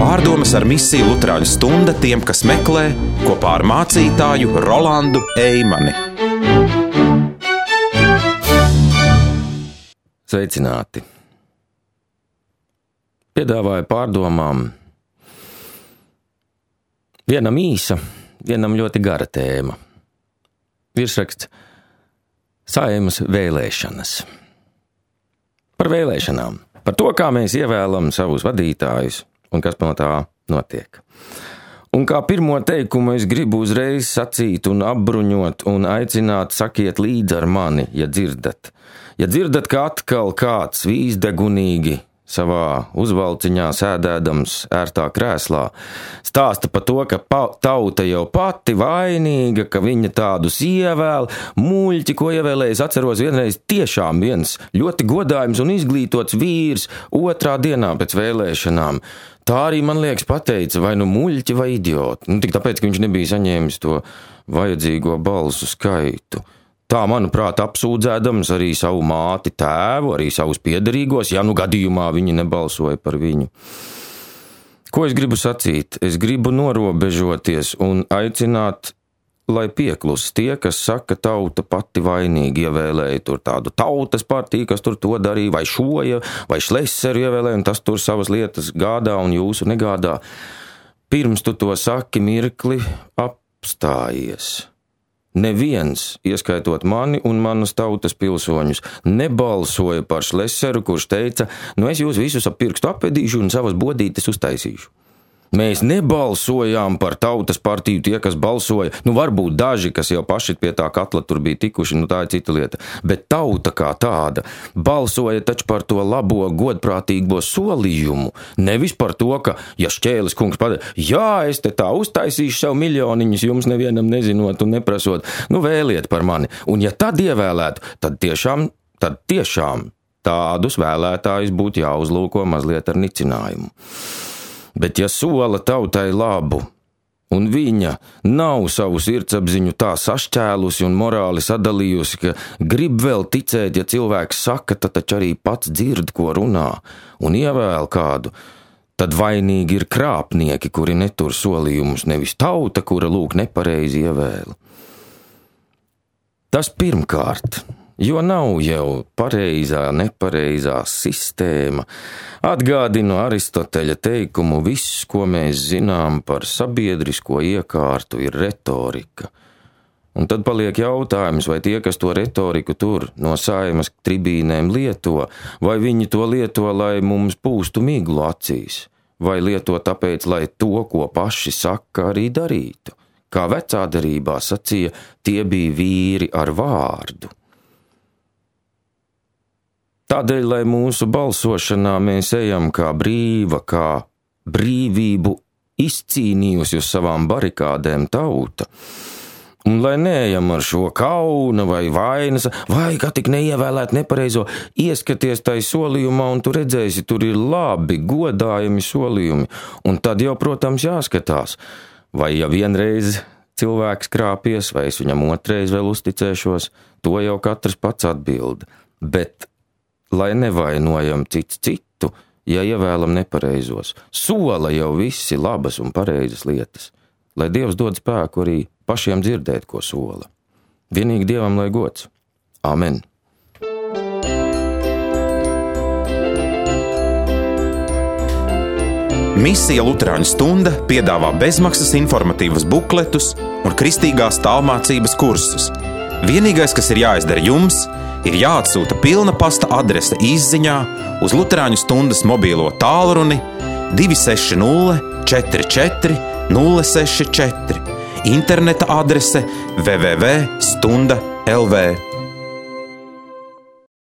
Pārdomas ar misiju Luterāņu stunda tiem, kas meklē, kopā ar mācītāju Rolandu Eimani. Sveicināti! Piedāvāju pārdomām vienam īsa, vienam ļoti gara tēma. Virsraksts Saeimas vēlēšanas. Par vēlēšanām, par to, kā mēs ievēlam savus vadītājus un kas no tā notiek. Un kā pirmo teikumu es gribu uzreiz sacīt un apbruņot un aicināt sakiet līdzi ar mani, ja dzirdat. Ja dzirdat, ka atkal kāds vīzdegunīgi savā uzvalciņā sēdēdams ērtā krēslā stāsta par to, ka tauta jau pati vainīga, ka viņa tādus ievēl, muļķi, ko ievēlēja, atceros vienreiz tiešām viens ļoti godājums un izglītots vīrs otrā dienā pēc vēlēšanām. Tā arī, man liekas, pateica, vai nu muļķi vai idioti. Tik tāpēc, ka viņš nebija saņēmis to vajadzīgo balsu skaitu. Tā, manuprāt, apsūdzēdams arī savu māti, tēvu, arī savus piederīgos, ja nu gadījumā viņi nebalsoja par viņu. Ko es gribu sacīt? Es gribu norobežoties un aicināt, lai pieklus tie, kas saka, tauta pati vainīgi ievēlēja tur tādu tautas partiju, kas tur to darīja, vai šoja, vai šleseru ievēlēja, un tas tur savas lietas gādā un jūsu negādā. Pirms tu to saki, mirkli apstājies. Neviens, ieskaitot mani un manas tautas pilsoņus, nebalsoja par šleseru, kurš teica, es jūs visus ap pirkstu apvedīšu un savas bodītes uztaisīšu. Mēs nebalsojām par tautas partiju tie, kas balsoja, varbūt daži, kas jau paši pie tā katla tur bija tikuši, tā ir cita lieta, bet tauta kā tāda balsoja taču par to labo, godprātīgo solījumu, nevis par to, ka, ja Šķēles kungs padara, jā, es te tā uztaisīšu sev miljoniņus, jums nevienam nezinot un neprasot, vēliet par mani, un ja tad ievēlētu, tad tiešām tādus vēlētājus būtu jāuzlūko mazliet ar nicinājumu. Bet ja sola tautai labu, un viņa nav savu sirdsapziņu tā sašķēlusi un morāli sadalījusi, ka grib vēl ticēt, ja cilvēks saka, tad taču arī pats dzird, ko runā, un ievēl kādu, tad vainīgi ir krāpnieki, kuri netur solījumus, nevis tauta, kura lūk nepareizi ievēla. Tas pirmkārt. Jo nav jau pareizā, nepareizā sistēma. Atgādinu Aristoteļa teikumu, viss, ko mēs zinām par sabiedrisko iekārtu, ir retorika. Un tad paliek jautājums, vai tie, kas to retoriku tur no Saimas tribīnēm lieto, vai viņi to lieto, lai mums pūstu miglu acīs, vai lieto tāpēc, lai to, ko paši saka, arī darītu. Kā vecā derībā sacīja, tie bija vīri ar vārdu. Tādēļ, lai mūsu balsošanā mēs ejam kā brīva, kā brīvību izcīnījusi uz savām barikādēm tauta, un lai neejam ar šo kauna vai vainas, vai kā tik neievēlēt nepareizo, ieskaties tai solījumā, un tu redzēsi, tur ir labi, godājami solījumi, un tad jau, protams, jāskatās, vai ja vienreiz cilvēks krāpies, vai es viņam otrais vēl uzticēšos, to jau katrs pats atbild, bet lai nevainojam cits citu, ja ievēlam nepareizos. Sola jau visi labas un pareizas lietas, lai Dievs dod spēku arī pašiem dzirdēt, ko sola. Vienīgi Dievam lai gods. Amen. Misija Luterāņu stunda piedāvā bezmaksas informatīvas bukletus un kristīgās tālmācības kursus. Vienīgais, kas ir jāizdara jums, ir jāatsūta pilna pasta adrese izziņā uz Luterāņu stundas mobīlo tālruni 260 44 064, interneta adrese www.stunda.lv.